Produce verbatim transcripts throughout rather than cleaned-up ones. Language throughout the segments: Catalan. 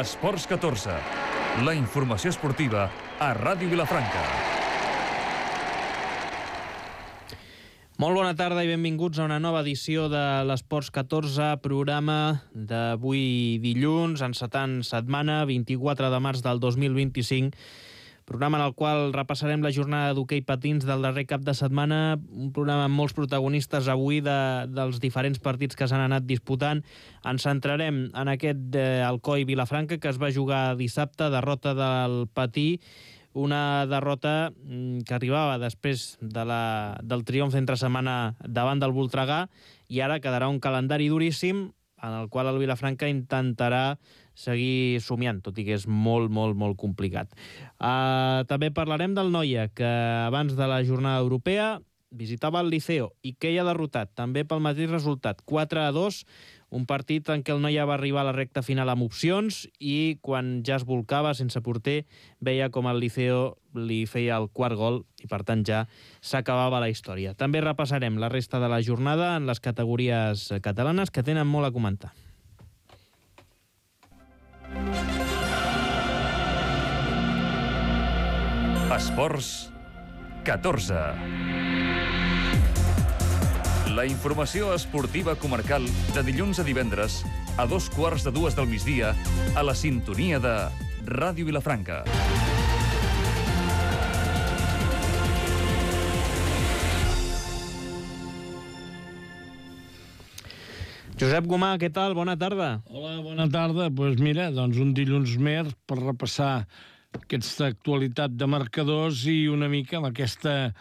Esports catorze, la informació esportiva a Ràdio Vilafranca. Molt bona tarda i benvinguts a una nova edició de l'Esports catorze, programa d'avui dilluns, encetant setmana, vint-i-quatre de març del dos mil vint-i-cinc, programa en el qual repassarem la jornada d'hoquei patins del darrer cap de setmana, un programa amb molts protagonistes avui de, dels diferents partits que s'han anat disputant. Ens centrarem en aquest eh, Alcoi Vilafranca, que es va jugar dissabte, derrota del Patí, una derrota que arribava després de la, del triomf entre setmana davant del Voltregà, i ara quedarà un calendari duríssim en el qual el Vilafranca intentarà seguir somiant, tot i que és molt, molt, molt complicat. Uh, també parlarem del Noia, que abans de la jornada europea visitava el Liceo i que hi ha derrotat, també pel mateix resultat, quatre a dos, un partit en què el Noia va arribar a la recta final amb opcions i quan ja es volcava sense porter veia com el Liceo li feia el quart gol i per tant ja s'acabava la història. També repassarem la resta de la jornada en les categories catalanes que tenen molt a comentar. Esports catorze. La informació esportiva comarcal de dilluns a divendres a dos quarts de dues del migdia a la sintonia de Ràdio Vilafranca. Josep Gomà, què tal? Bona tarda. Hola, bona tarda. Doncs pues mira, doncs un dilluns més per repassar aquesta actualitat de marcadors i una mica amb aquesta,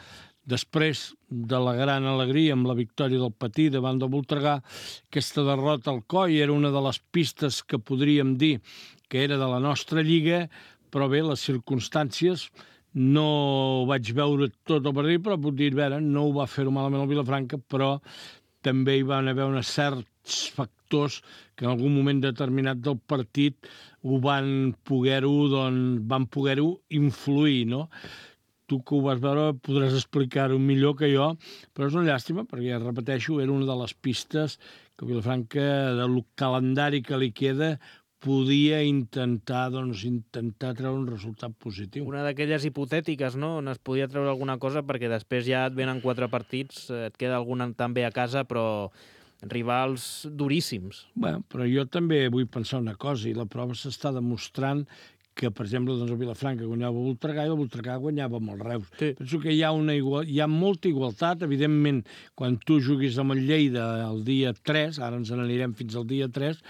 després de la gran alegria amb la victòria del Patí davant del Voltregà, aquesta derrota al Coi era una de les pistes que podríem dir que era de la nostra lliga, però bé, les circumstàncies no vaig veure tot el partit, però puc dir, veure, no ho va fer-ho malament el Vilafranca, però també hi van haver uns certs factors que en algun moment determinat del partit ho van poder-ho, doncs, van poder-ho influir, no? Tu que ho vas veure podràs explicar-ho millor que jo, però és una llàstima perquè, repeteixo, era una de les pistes que Vilafranca, del calendari que li queda, podia intentar, doncs, intentar treure un resultat positiu. Una d'aquelles hipotètiques, no?, on es podia treure alguna cosa perquè després ja et venen quatre partits, et queda algun també a casa, però rivals duríssims. Bé, però jo també vull pensar una cosa, i la prova s'està demostrant que, per exemple, doncs, el Vilafranca guanyava el Voltregà i el Voltregà guanyava amb el Reus. Sí. Penso que hi ha, una igual, hi ha molta igualtat. Evidentment, quan tu juguis amb el Lleida el dia tres, ara ens n'anirem fins al dia tres,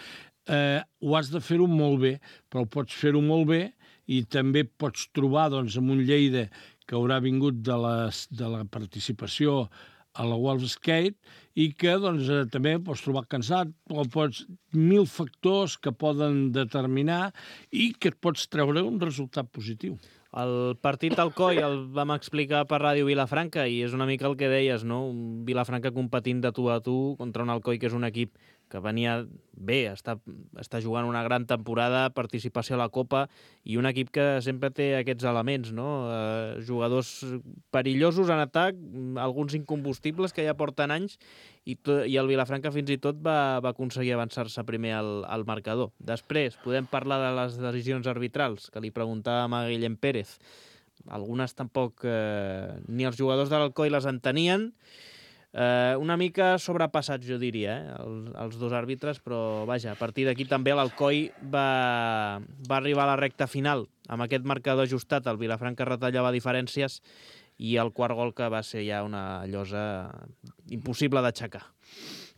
eh, ho has de fer-ho molt bé, però pots fer-ho molt bé i també pots trobar, doncs, amb un Lleida que haurà vingut de, les, de la participació a la World Skate i que doncs, eh, també pots trobar cansat o pots mil factors que poden determinar i que et pots treure un resultat positiu. El partit al Coi el vam explicar per Ràdio Vilafranca i és una mica el que deies, no? Un Vilafranca competint de tu a tu contra un Alcoi que és un equip que venia bé, està, està jugant una gran temporada, participació a la Copa i un equip que sempre té aquests elements, no? Eh, jugadors perillosos en atac, alguns incombustibles que ja porten anys i, to, i el Vilafranca fins i tot va, va aconseguir avançar-se primer al, al marcador. Després podem parlar de les decisions arbitrals, que li preguntàvem a Guillem Pérez. Algunes tampoc eh, ni els jugadors de l'Alcoi les entenien. Uh, una mica sobrepassats, jo diria, eh? els, els dos àrbitres, però vaja, a partir d'aquí també l'Alcoi va, va arribar a la recta final amb aquest marcador ajustat. El Vilafranca retallava diferències i el quart gol que va ser ja una llosa impossible d'aixecar.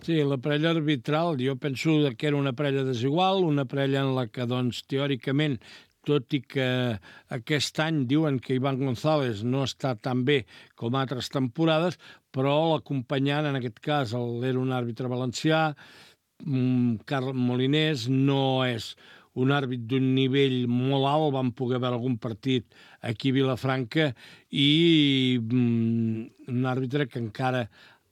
Sí, la parella arbitral, jo penso que era una parella desigual, una parella en la que, doncs, teòricament, tot i que aquest any diuen que Iván González no està tan bé com altres temporades, però l'acompanyant, en aquest cas, era un àrbitre valencià, Carles Molinés, no és un àrbit d'un nivell molt alt, vam poder veure algun partit aquí a Vilafranca, i un àrbitre que encara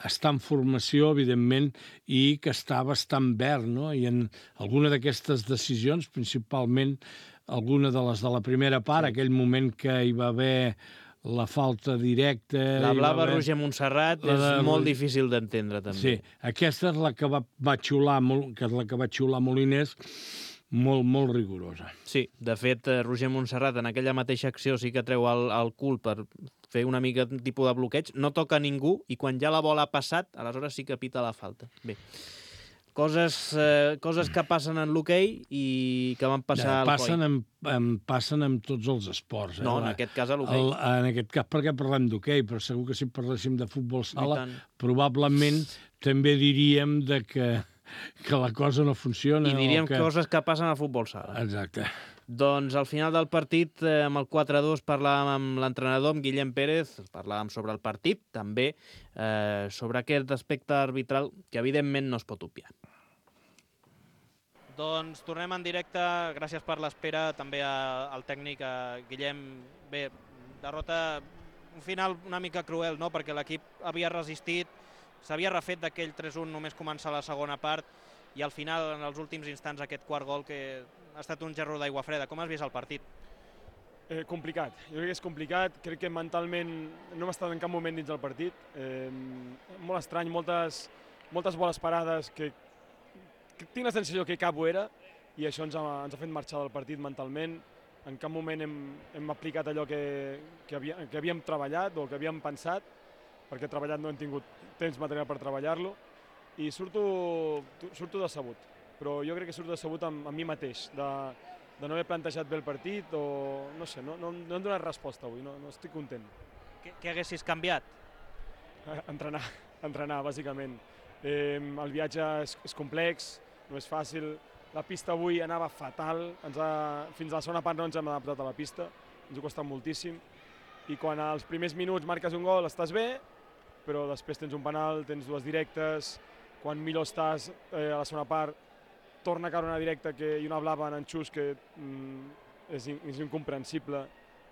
està en formació, evidentment, i que està bastant verd, no? I en alguna d'aquestes decisions, principalment alguna de les de la primera part, aquell moment que hi va haver la falta directa... La blava haver... Roger Montserrat és de... molt difícil d'entendre, també. Sí, aquesta és la que va, va xiular, que és la que va xiular Molinés. molt, molt rigorosa. Sí, de fet, Roger Montserrat en aquella mateixa acció sí que treu el, el cul per fer una mica un tipus de bloqueig, no toca ningú i quan ja la bola ha passat, aleshores sí que pita la falta. Bé, coses, eh, coses que passen en l'hoquei i que van passar ja, al passen coi. en, en, passen en tots els esports. Eh? No, en aquest cas a l'hoquei. El, en aquest cas perquè parlem d'hoquei, però segur que si parléssim de futbol sala, tant. probablement també diríem de que, que la cosa no funciona. I diríem que... coses que passen al futbol sala. Exacte. Doncs al final del partit, eh, amb el quatre a dos, parlàvem amb l'entrenador, amb Guillem Pérez, parlàvem sobre el partit, també eh, sobre aquest aspecte arbitral que evidentment no es pot obviar. Doncs tornem en directe, gràcies per l'espera, també a, al tècnic, a Guillem. Bé, derrota, un final una mica cruel, no?, perquè l'equip havia resistit, s'havia refet d'aquell tres un només començar la segona part, i al final, en els últims instants, aquest quart gol que ha estat un gerro d'aigua freda. Com has vist el partit? Eh, complicat, jo crec que és complicat, crec que mentalment no hem estat en cap moment dins del partit, eh, molt estrany, moltes, moltes boles parades que, que tinc la sensació que cap ho era i això ens ha, ens ha fet marxar del partit mentalment, en cap moment hem, hem aplicat allò que, que, havia, que havíem treballat o que havíem pensat, perquè treballat no hem tingut temps material per treballar-lo i surto, surto decebut, però jo crec que surto decebut amb, amb mi mateix, de, de no haver plantejat bé el partit o no sé, no, no, no hem donat resposta avui, no, no estic content. Què, què haguessis canviat? Entrenar, entrenar, bàsicament. Eh, el viatge és, és complex, no és fàcil, la pista avui anava fatal, ens ha, fins a la segona part no ens hem adaptat a la pista, ens ha costat moltíssim, i quan als primers minuts marques un gol estàs bé, però després tens un penal, tens dues directes, quan millor estàs eh, a la segona part, torna a caure una directa que, i una blava en Xus que mm, és, in, és incomprensible,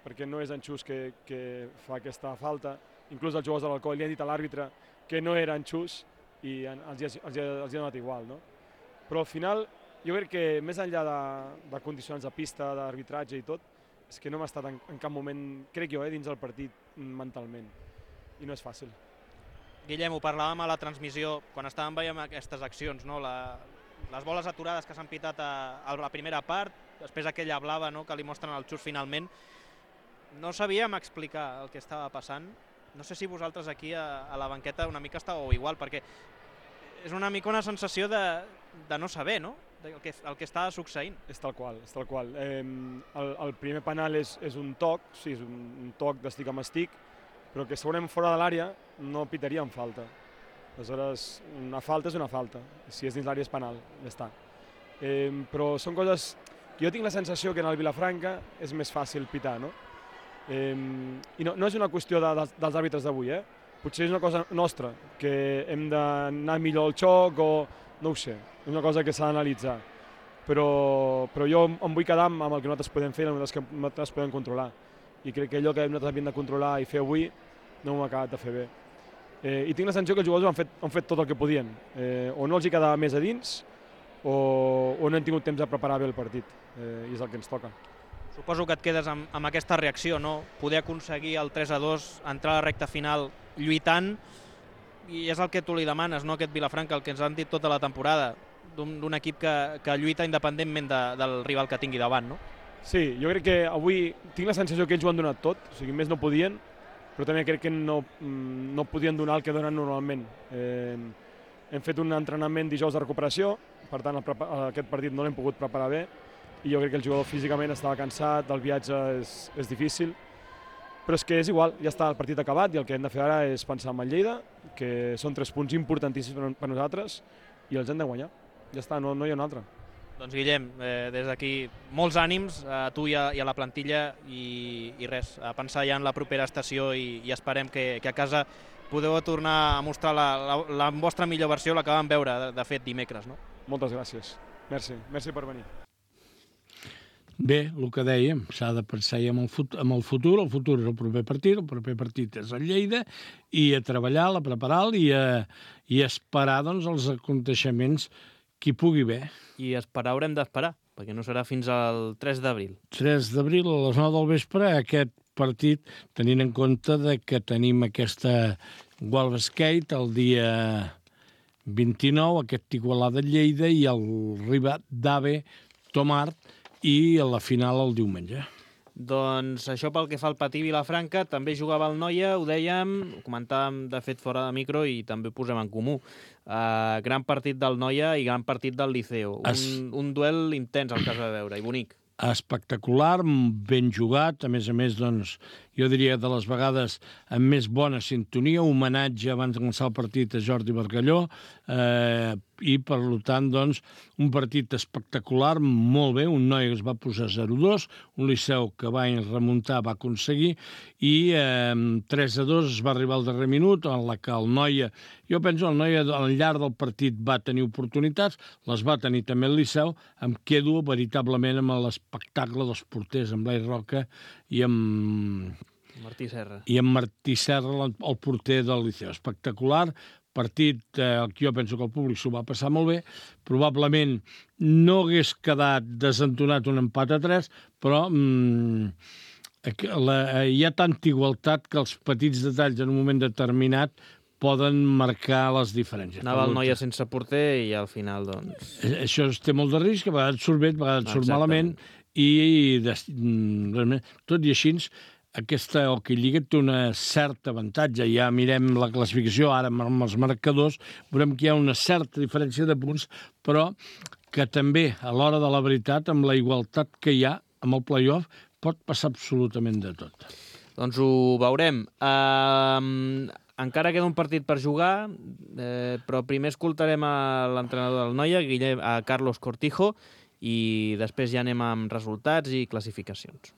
perquè no és en Xus que, que fa aquesta falta. Inclús els jugadors de l'Alcoi li han dit a l'àrbitre que no era en Xus i en, els, els, els, els ha donat igual. No? Però al final, jo crec que més enllà de, de condicions de pista, d'arbitratge i tot, és que no hem estat en, en cap moment, crec jo, eh, dins del partit mentalment. I no és fàcil. Guillem, ho parlàvem a la transmissió, quan estàvem veient aquestes accions, no? la, les boles aturades que s'han pitat a, a la primera part, després aquella blava, no?, que li mostren el Xus finalment, no sabíem explicar el que estava passant. No sé si vosaltres aquí a, a la banqueta una mica estàveu igual, perquè és una mica una sensació de, de no saber, no?, el que, el que estava succeint. És tal qual, és tal qual. Eh, el, el primer penal és, és un toc, sí, és un, un toc d'estic amb estic, però que segurament fora de l'àrea no pitaríem falta. Aleshores, una falta és una falta. Si és dins l'àrea és penal, ja està. Eh, però són coses que jo tinc la sensació que en el Vilafranca és més fàcil pitar, no? Eh, I no, no és una qüestió de, dels, dels àrbitres d'avui, eh? Potser és una cosa nostra, que hem d'anar millor al xoc o no ho sé, és una cosa que s'ha d'analitzar. Però, però jo em vull quedar amb el que nosaltres podem fer, amb el que nosaltres podem controlar. I crec que allò que nosaltres havíem de controlar i fer avui no ho hem acabat de fer bé. Eh, I tinc la sensació que els jugadors han fet, han fet tot el que podien. Eh, o no els hi quedava més a dins o, o no han tingut temps de preparar bé el partit. Eh, I és el que ens toca. Suposo que et quedes amb, amb aquesta reacció, no? Poder aconseguir el tres a dos, entrar a la recta final lluitant, i és el que tu li demanes, no?, aquest Vilafranca, el que ens han dit tota la temporada, d'un equip que, que lluita independentment de, del rival que tingui davant, no? Sí, jo crec que avui tinc la sensació que ells ho han donat tot, o sigui, més no podien, però també crec que no, no podien donar el que donen normalment. Eh, hem fet un entrenament dijous de recuperació, per tant el, aquest partit no l'hem pogut preparar bé, i jo crec que el jugador físicament estava cansat, el viatge és, és difícil, però és que és igual, ja està el partit acabat i el que hem de fer ara és pensar en el Lleida, que són tres punts importantíssims per nosaltres i els hem de guanyar. Ja està, no, no hi ha un altre. Doncs Guillem, eh, des d'aquí molts ànims a tu i a, i a la plantilla i, i res, a pensar ja en la propera estació i, i esperem que, que a casa podeu tornar a mostrar la, la, la vostra millor versió, la que vam veure de, de fet dimecres, no? Moltes gràcies. Merci, merci per venir. Bé, el que dèiem, s'ha de pensar ja en el, fut en el futur, el futur és el proper partit, el proper partit és el Lleida, i a treballar, a preparar-lo i, a, i a esperar doncs, els aconteixements qui pugui bé. I esperar haurem d'esperar, perquè no serà fins al tres d'abril. tres d'abril a les nou del vespre, aquest partit, tenint en compte de que tenim aquesta World Skate el dia vint-i-nou, aquest Igualada Lleida i el Riba d'Ave Tomart, i a la final el diumenge. Doncs això pel que fa al Patí Vilafranca, també jugava el Noia, ho dèiem, ho comentàvem de fet fora de micro i també ho posem en comú. Uh, gran partit del Noia i gran partit del Liceo. Un, es... un duel intens al cas de veure i bonic. Espectacular, ben jugat, a més a més, doncs, jo diria de les vegades amb més bona sintonia, homenatge abans de començar el partit a Jordi Bargalló, eh, i per tant, doncs, un partit espectacular, molt bé, un Noia que es va posar zero dos, un Liceu que va remuntar, va aconseguir, i eh, tres a dos es va arribar al darrer minut, en la que el Noia, jo penso el Noia al llarg del partit va tenir oportunitats, les va tenir també el Liceu, em quedo veritablement amb l'espectacle dels porters, amb Blai Roca i amb... Martí Serra. I amb Martí Serra, el porter del Liceu. Espectacular, partit eh, que jo penso que el públic s'ho va passar molt bé, probablement no hagués quedat desentonat un empat a tres, però mm, la, hi ha tanta igualtat que els petits detalls en un moment determinat poden marcar les diferències. Anava el Noia sense porter i al final, doncs... Això té molt de risc, a vegades surt bé, a vegades surt malament, i de, tot i així aquesta Hockey Lliga té una certa avantatge. Ja mirem la classificació ara amb els marcadors, veurem que hi ha una certa diferència de punts, però que també, a l'hora de la veritat, amb la igualtat que hi ha amb el play-off, pot passar absolutament de tot. Doncs ho veurem. Uh, encara queda un partit per jugar, eh, però primer escoltarem a l'entrenador del Noia, Guillem, a Carlos Cortijo, i després ja anem amb resultats i clasificacions.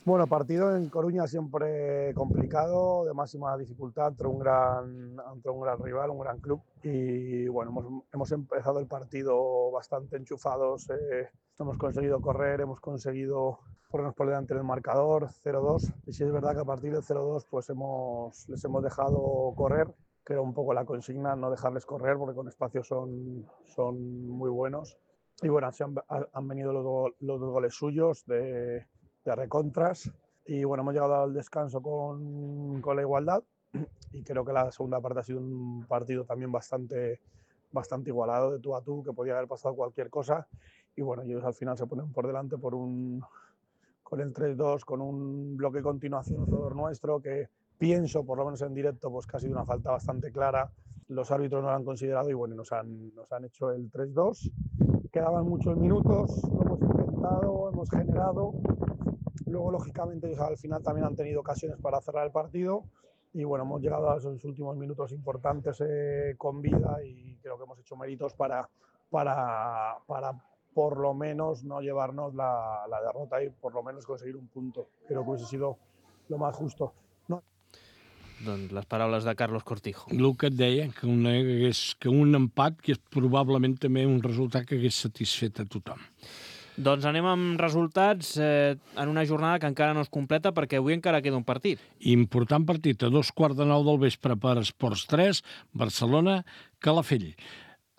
Bueno, partido en Coruña siempre complicado, de máxima dificultad ante un gran, ante un gran rival, un gran club. Y bueno, hemos, hemos empezado el partido bastante enchufados, eh, hemos conseguido correr, hemos conseguido ponernos por delante del marcador, cero dos. Y sí es verdad que a partir del cero dos pues hemos, les hemos dejado correr, que era un poco la consigna, no dejarles correr porque con espacio son, son muy buenos. Y bueno, se han, han venido los, los dos goles suyos de... de recontras y bueno, hemos llegado al descanso con, con la igualdad y creo que la segunda parte ha sido un partido también bastante, bastante igualado, de tú a tú, que podía haber pasado cualquier cosa y bueno, ellos al final se ponen por delante por un, con el tres dos, con un bloque continuación a favor nuestro que pienso, por lo menos en directo, pues que ha sido una falta bastante clara, los árbitros no lo han considerado y bueno, nos han, nos han hecho el tres dos, quedaban muchos minutos, lo hemos intentado, hemos generado. Luego, lógicamente, ellos al final también han tenido ocasiones para cerrar el partido y bueno, hemos llegado a esos últimos minutos importantes eh, con vida y creo que hemos hecho méritos para, para, para por lo menos no llevarnos la, la derrota y por lo menos conseguir un punto. Creo que hubiese sido lo más justo. No. Doncs les paraules de Carlos Cortijo. El que et deia, que, una, que, és, que un empat que és probablement també un resultat que hagués satisfet a tothom. Doncs anem amb resultats eh, en una jornada que encara no es completa perquè avui encara queda un partit. Important partit, a dos quarts de nou del vespre per Esports tres, Barcelona, Calafell.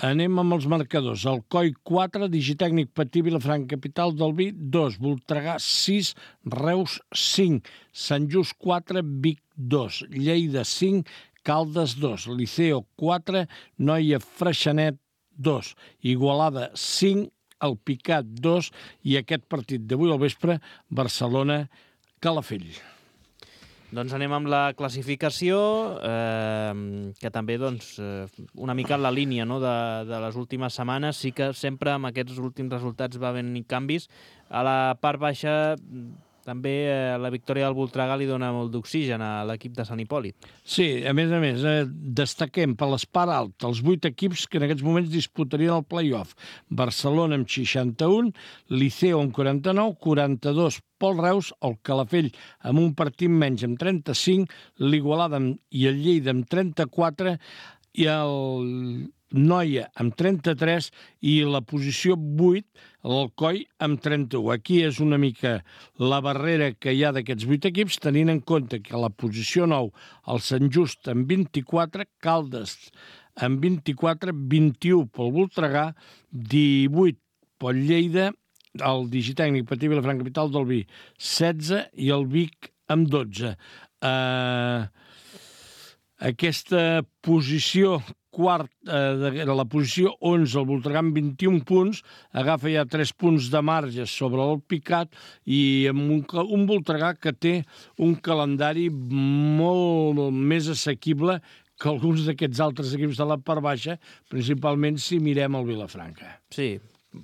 Anem amb els marcadors. Alcoi quatre, Digitècnic Patí Vilafranca Capital del Vi dos, Voltregà sis, Reus cinc, Sant Just quatre, Vic dos, Lleida cinc, Caldes dos, Liceo quatre, Noia Freixenet dos, Igualada cinc, el Picat dos i aquest partit d'avui al vespre, Barcelona-Calafell. Doncs anem amb la classificació, eh, que també doncs, una mica en la línia, no, de, de les últimes setmanes. Sí que sempre amb aquests últims resultats va haver canvis. A la part baixa també eh, la victòria del Voltregà li dona molt d'oxigen a l'equip de Sant Hipòlit. Sí, a més a més, eh, destaquem per l'espart alt els vuit equips que en aquests moments disputarien el play-off. Barcelona amb seixanta-un, Liceo amb quaranta-nou, quaranta-dos Pol Reus, el Calafell amb un partit menys amb trenta-cinc, l'Igualada i el Lleida amb trenta-quatre i el Noia amb trenta-tres i la posició vuit, l'Alcoi amb trenta-u. Aquí és una mica la barrera que hi ha d'aquests vuit equips, tenint en compte que a la posició nou el Sant Just amb vint-i-quatre, Caldes amb vint-i-quatre, vint-i-u pel Voltregà, divuit pel Lleida, el Digitècnic Patí Vilafranca Capital del Vi setze i el Vic amb dotze. Uh, aquesta posició quart, eh, de la posició onze, el Voltregà amb vint-i-un punts, agafa ja tres punts de marge sobre el Picat i amb un, un Voltregà que té un calendari molt més assequible que alguns d'aquests altres equips de la part baixa, principalment si mirem el Vilafranca. Sí,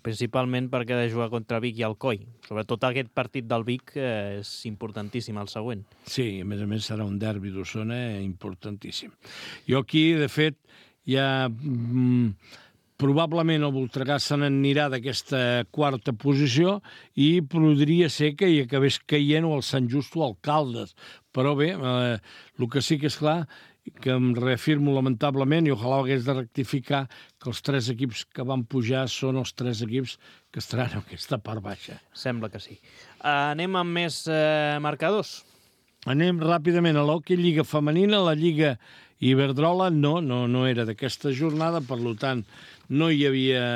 principalment perquè ha de jugar contra Vic i Alcoi. Sobretot aquest partit del Vic eh, és importantíssim, el següent. Sí, a més a més serà un derbi d'Osona importantíssim. Jo aquí, de fet, ja mm, probablement el Voltregà se n'anirà d'aquesta quarta posició i podria ser que hi acabés caient o el Sant Just o el Caldes. Però bé, eh, el que sí que és clar que em reafirmo lamentablement i ojalà hagués de rectificar que els tres equips que van pujar són els tres equips que estaran en aquesta part baixa. Sembla que sí. Uh, anem amb més uh, marcadors. Anem ràpidament a l'hoquei Lliga Femenina, la Lliga Iberdrola no, no, no era d'aquesta jornada, per tant no hi havia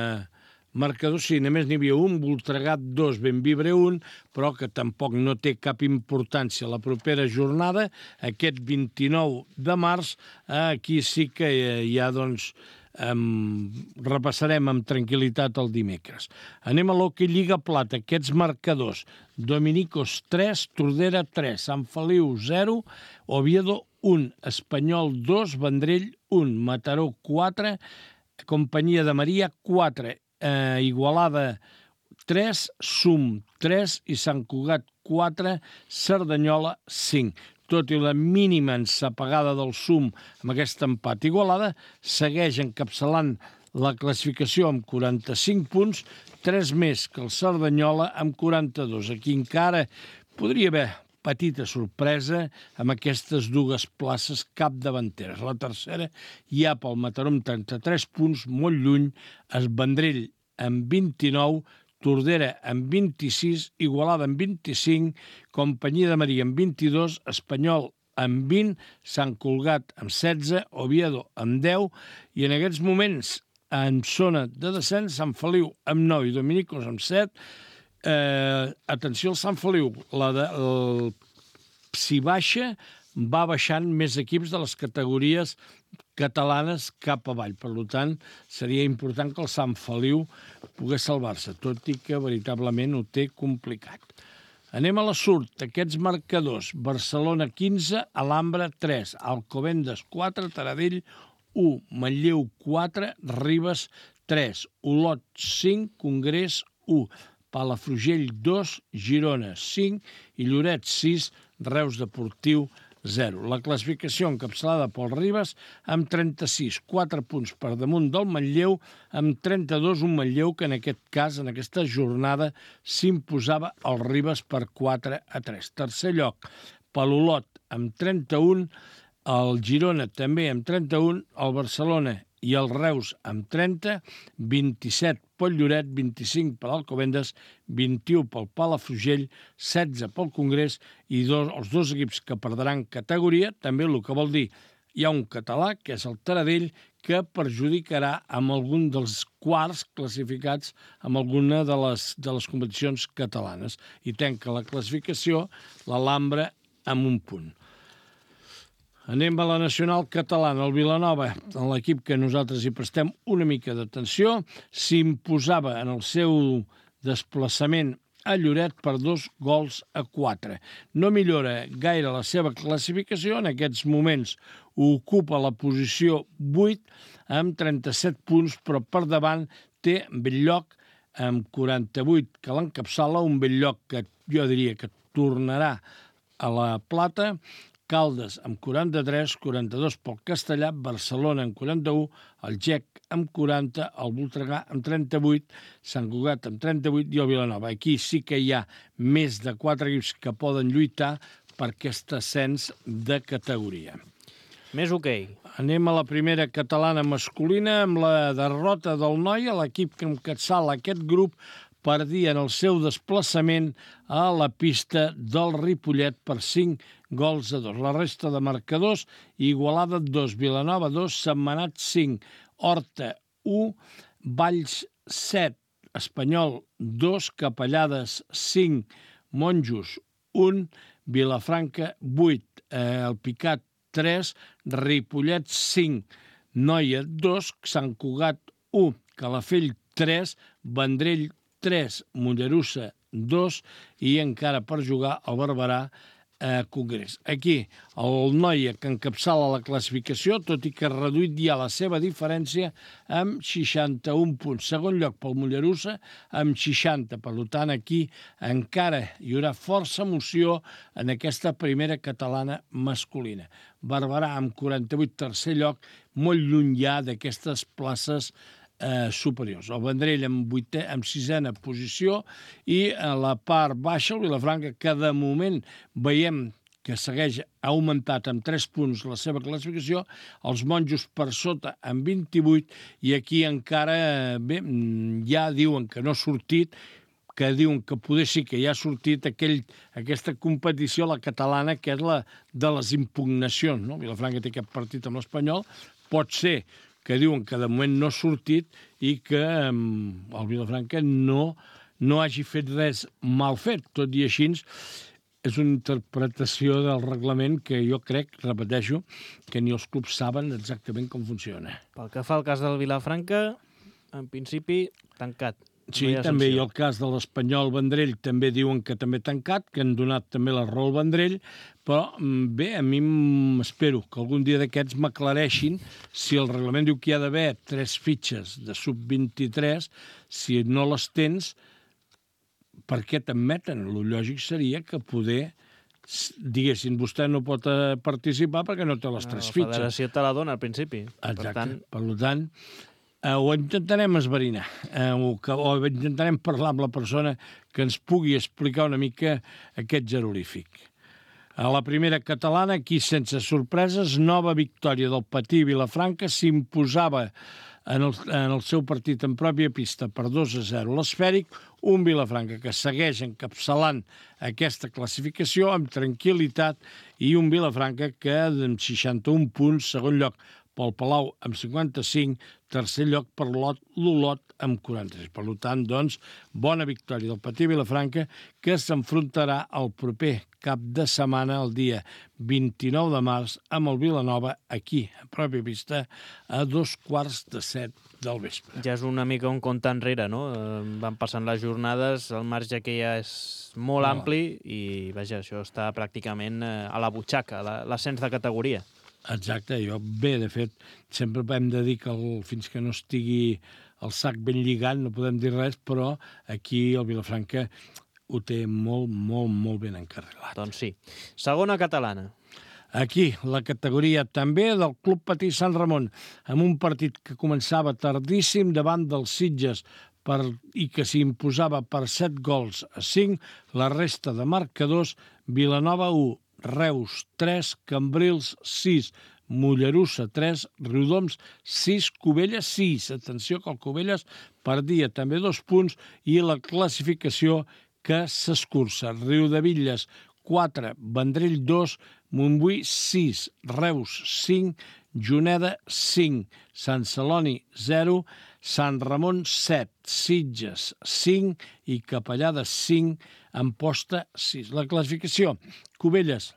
marcador, sí, només n'hi havia un, Voltregà dos, Benvibre un, però que tampoc no té cap importància la propera jornada, aquest vint-i-nou de març, aquí sí que ja, doncs, Um, repassarem amb tranquil·litat el dimecres. Anem a l'hoquei Lliga Plata, aquests marcadors: Dominicos tres, Tordera tres, Sant Feliu zero, Oviedo un, Espanyol dos, Vendrell un, Mataró quatre, Companyia de Maria quatre, eh, Igualada tres, Sum tres i Sant Cugat quatre, Cerdanyola cinc. Tot i la mínima ensapegada del Sum amb aquest empat Igualada, segueix encapçalant la classificació amb quaranta-cinc punts, tres més que el Cerdanyola amb quaranta-dos. Aquí encara podria haver petita sorpresa amb aquestes dues places capdavanteres. La tercera hi ha pel Mataró amb trenta-tres punts, molt lluny, es Vendrell amb vint-i-nou, Tordera amb vint-i-sis, Igualada amb vint-i-cinc, Companyia de Maria amb vint-i-dos, Espanyol amb vint, Sant Cugat amb setze, Oviedo amb deu, i en aquests moments en zona de descens Sant Feliu amb nou i Dominicos amb set. Eh, atenció al Sant Feliu, la de, el, si baixa, va baixant més equips de les categories catalanes cap avall. Per tant, seria important que el Sant Feliu pogués salvar-se, tot i que veritablement ho té complicat. Anem a la surt. Aquests marcadors: Barcelona quinze, Alhambra tres, Alcobendas quatre, Taradell u, Manlleu quatre, Ribes tres, Olot cinc, Congrés u, Palafrugell dos, Girona cinc i Lloret sis, Reus Deportiu zero. La classificació encapçalada pel Ribes amb trenta-sis, quatre punts per damunt del Manlleu, amb trenta-dos, un Manlleu que en aquest cas, en aquesta jornada, s'imposava al Ribes per quatre a tres. Tercer lloc, per l'Olot amb trenta-un, el Girona també amb trenta-un, el Barcelona i el Reus amb trenta, vint-i-set pel Lloret, vint-i-cinc per l'Alcobendas, vint-i-u pel Palafrugell, setze pel Congrés i dos, els dos equips que perdran categoria, també el que vol dir hi ha un català, que és el Taradell, que perjudicarà amb algun dels quarts classificats amb alguna de les, de les competicions catalanes. I tanca la classificació l'Alhambra amb un punt. Anem a la nacional catalana. El Vilanova, en l'equip que nosaltres hi prestem una mica d'atenció, s'imposava en el seu desplaçament a Lloret per dos gols a quatre. No millora gaire la seva classificació. En aquests moments ocupa la posició vuit amb trenta-set punts, però per davant té Belllloc amb quaranta-vuit que l'encapçala, un Belllloc que jo diria que tornarà a la plata, Caldes amb quaranta-tres, quaranta-dos pel Castellà, Barcelona amb quaranta-u, el Gec amb quaranta, el Voltregà amb trenta-vuit, Sant Cugat amb trenta-vuit i el Vilanova. Aquí sí que hi ha més de quatre equips que poden lluitar per aquest ascens de categoria. Més hoquei. Anem a la primera catalana masculina amb la derrota del Noia, l'equip que encapçala aquest grup perdia en el seu desplaçament a la pista del Ripollet per cinc gols a dos. La resta de marcadors: Igualada dos, Vilanova dos, Sentmenat cinc, Horta u, Valls set, Espanyol dos, Capellades cinc, Monjos un, Vilafranca vuit, eh, el Picat tres, Ripollet cinc, Noia dos, Sant Cugat u, Calafell tres, Vendrell tres, Mollerussa dos i encara per jugar el Barberà a Congrés. Aquí, el Noia que encapçala la classificació, tot i que ha reduït ja la seva diferència amb seixanta-un punts. Segon lloc pel Mollerussa amb seixanta. Per tant, aquí encara hi haurà força emoció en aquesta primera catalana masculina. Barberà amb quaranta-vuit, tercer lloc, molt lluny ja d'aquestes places Eh, superiors. El Vendrell amb, vuitè, amb sisena posició i a la part baixa el Vilafranca, que de moment veiem que segueix ha augmentat amb tres punts la seva classificació, els Monjos per sota amb vint-i-vuit i aquí encara bé, ja diuen que no ha sortit, que diuen que poder sí que ja ha sortit aquell, aquesta competició, la catalana, que és la de les impugnacions. No? Vilafranca té aquest partit amb l'Espanyol, pot ser que diuen que de moment no ha sortit i que eh, el Vilafranca no, no hagi fet res mal fet. Tot i així, és una interpretació del reglament que jo crec, repeteixo, que ni els clubs saben exactament com funciona. Pel que fa al cas del Vilafranca, en principi, tancat. Sí, no també hi ha el cas de l'Espanyol Vendrell, també diuen que també tancat, que han donat també la raó al Vendrell, però bé, a mi m'espero que algun dia d'aquests m'aclareixin si el reglament diu que hi ha d'haver tres fitxes de sub vint-i-tres, si no les tens, per què t'admeten? El lògic seria que poder, diguessin, vostè no pot participar perquè no té les tres fitxes. La federació te la dona al principi. Exacte, per tant, per tant ho intentarem esverinar, o intentarem parlar amb la persona que ens pugui explicar una mica aquest jeroglífic. A la primera catalana, aquí sense sorpreses, nova victòria del Patí Vilafranca, s'imposava en el, en el seu partit en pròpia pista per dos a zero l'Esfèric, un Vilafranca que segueix encapçalant aquesta classificació amb tranquil·litat i un Vilafranca que amb seixanta-un punts, segon lloc pel Palau amb cinquanta-cinc, tercer lloc per l'Olot amb quaranta-sis. Per tant, doncs, bona victòria del Patí Vilafranca que s'enfrontarà el proper cap de setmana, el dia vint-i-nou de març, amb el Vilanova aquí, a pròpia pista, a dos quarts de set del vespre. Ja és una mica un compte enrere, no? Van passant les jornades, el marge que ja és molt no. ampli i, vaja, això està pràcticament a la butxaca, l'ascens de categoria. Exacte, jo, bé, de fet, sempre hem de dir que el, fins que no estigui el sac ben lligat no podem dir res, però aquí el Vilafranca ho té molt, molt, molt ben encarrilat. Doncs sí. Segona catalana. Aquí, la categoria també del Club Patí Sant Ramon, amb un partit que començava tardíssim davant dels Sitges per, i que s'imposava per set gols a cinc, la resta de marcadors, Vilanova u, Reus tres, Cambrils sis, Mollerussa tres, Riudoms sis, Cubelles sis. Atenció que el Cubelles perdia també dos punts i la classificació que s'escurça. Riudebitlles quatre, Vendrell dos, Montbui sis, Reus cinc, Juneda cinc, Sant Celoni zero, Sant Ramon set, Sitges cinc i Capellada cinc, Amposta sis. La classificació, Cubelles,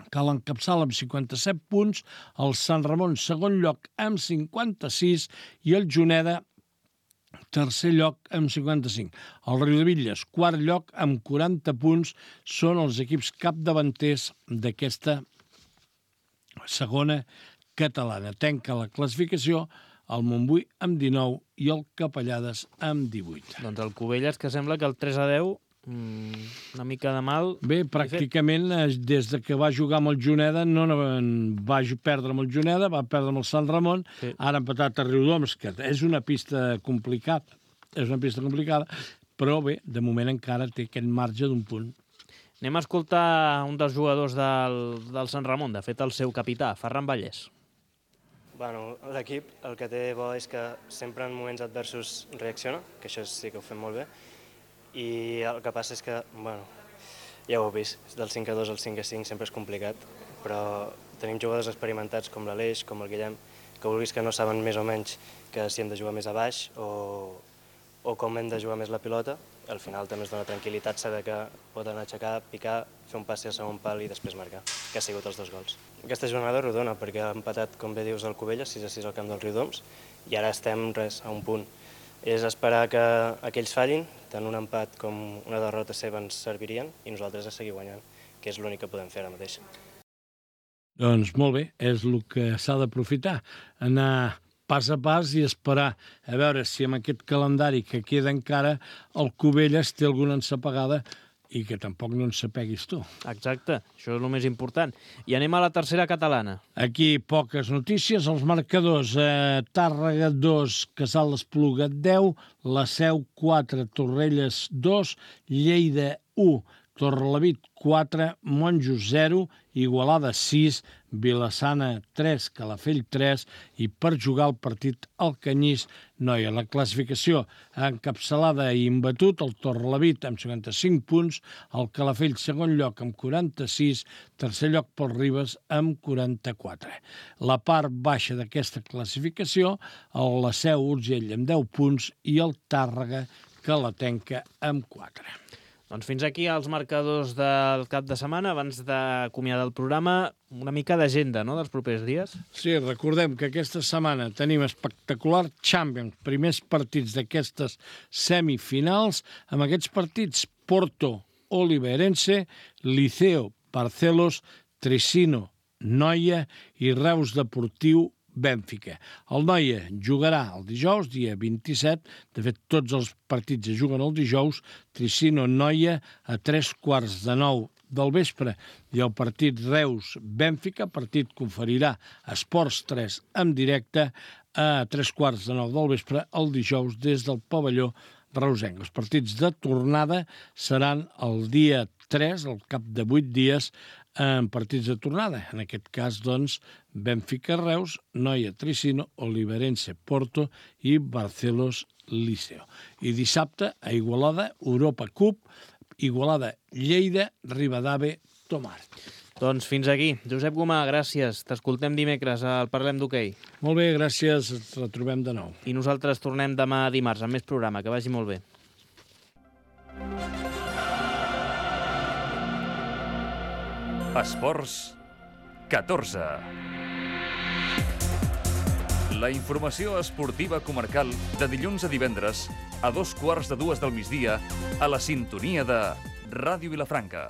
que l'encapçala amb cinquanta-set punts, el Sant Ramon segon lloc amb cinquanta-sis i el Juneda tercer lloc amb cinquanta-cinc. El Riudebitlles, quart lloc amb quaranta punts, són els equips capdavanters d'aquesta segona catalana. Tanca la classificació el Montbui amb dinou i el Capellades amb divuit. Doncs el Cubelles, que sembla que el tres a deu, una mica de mal... Bé, pràcticament des de que va jugar amb el Juneda, no, no va perdre amb el Juneda, va perdre amb el Sant Ramon, sí. Ara ha empatat a Riudoms, que és una pista complicada, és una pista complicada, però bé, de moment encara té aquest marge d'un punt. Anem a escoltar un dels jugadors del, del Sant Ramon, de fet el seu capità, Ferran Vallès. Bueno, l'equip el que té bo és que sempre en moments adversos reacciona, que això sí que ho fem molt bé, i el que passa és que, bueno, ja ho heu vist, del cinc a dos al cinc a cinc sempre és complicat, però tenim jugadors experimentats com l'Aleix, com el Guillem, que vulguis que no saben més o menys que si hem de jugar més a baix o, o com hem de jugar més la pilota, al final també es dona tranquil·litat saber que poden aixecar, picar, fer un passi al segon pal i després marcar, que ha sigut els dos gols. Aquesta jornada rodona perquè ha empatat, com bé dius, el Cubelles, sis a sis al camp del Riudoms, i ara estem res, a un punt. És esperar que aquells fallin, tant un empat com una derrota seva ens servirien i nosaltres a seguir guanyant, que és l'únic que podem fer ara mateix. Doncs molt bé, és el que s'ha d'aprofitar, anar pas a pas i esperar a veure si amb aquest calendari que queda encara el Cubelles té alguna ensapegada i que tampoc no ensapeguis tu. Exacte, això és el més important. I anem a la tercera catalana. Aquí poques notícies, els marcadors, eh, Tàrrega dos, Casal d'Espluga deu, La Seu quatre, Torrelles dos, Lleida u, Torrelavit quatre, Monjos zero, Igualada sis, Vilassana tres, Calafell tres i per jugar el partit al Canyís Noia. La classificació encapçalada i imbatut, el Torrelavit amb cinquanta-cinc punts, el Calafell segon lloc amb quaranta-sis, tercer lloc pel Ribes amb quaranta-quatre. La part baixa d'aquesta classificació, el La Seu Urgell amb deu punts i el Tàrrega Calatenca amb quatre. Doncs fins aquí els marcadors del cap de setmana. Abans d'acomiadar el programa, una mica d'agenda, no?, dels propers dies. Sí, recordem que aquesta setmana tenim espectacular Champions, primers partits d'aquestes semifinals, amb aquests partits Porto, Oliveirense, Liceo, Barcelos, Tresino, Noia i Reus Deportiu, Bènfica. El Noia jugarà el dijous, dia vint-i-set, de fet tots els partits es juguen el dijous, Tresino-Noia a tres quarts de nou del vespre i el partit Reus-Bènfica, partit que oferirà Esports tres en directe a tres quarts de nou del vespre el dijous des del pavelló reusenc. Els partits de tornada seran el dia tres, al cap de vuit dies, en partits de tornada. En aquest cas, doncs, Bènfica-Reus, Noia-Tresino, Oliveirense-Porto i Barcelos-Liceo. I dissabte, a Igualada, Europa Cup, Igualada-Lleida, Ribadave-Tomar. Doncs fins aquí. Josep Gomà, gràcies. T'escoltem dimecres al Parlem d'Hoquei. Molt bé, gràcies. Ens retrobem de nou. I nosaltres tornem demà dimarts amb més programa. Que vagi molt bé. Esports catorze. La informació esportiva comarcal de dilluns a divendres a dos quarts de dues del migdia a la sintonia de Ràdio Vilafranca.